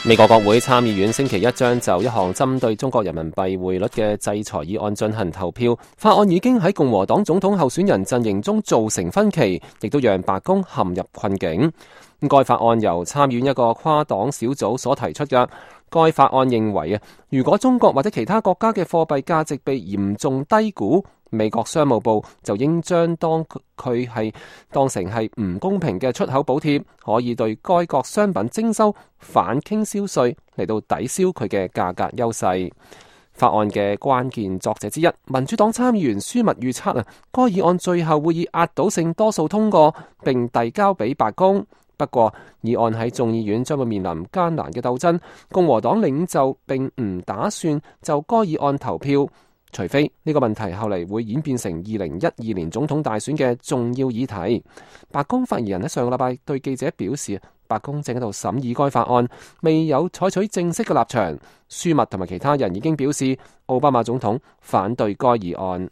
美國國會參議院星期一將就一項針對中國人民幣匯率嘅制裁議案進行投票。法案已經喺共和黨總統候選人陣營中造成分歧，亦都讓白宮陷入困境。該法案由參議院一個跨黨小組所提出嘅。該法案認為如果中國或者其他國家嘅貨幣價值被嚴重低估，美國商務部就應將當成係唔公平嘅出口補貼，可以對該國商品徵收反傾銷稅嚟到抵消佢嘅價格優勢。法案嘅關鍵作者之一，民主黨參議員舒密預測該議案最後會以壓倒性多數通過並遞交俾白宮。不過，議案喺眾議院將會面臨艱難嘅鬥爭，共和黨領袖並唔打算就該議案投票，除非呢個問題後嚟會演變成2012年總統大選嘅重要議題。白宮發言人喺上個禮拜對記者表示，白宮正喺度審議該法案，未有採取正式嘅立場。舒密同埋其他人已經表示，奧巴馬總統反對該議案。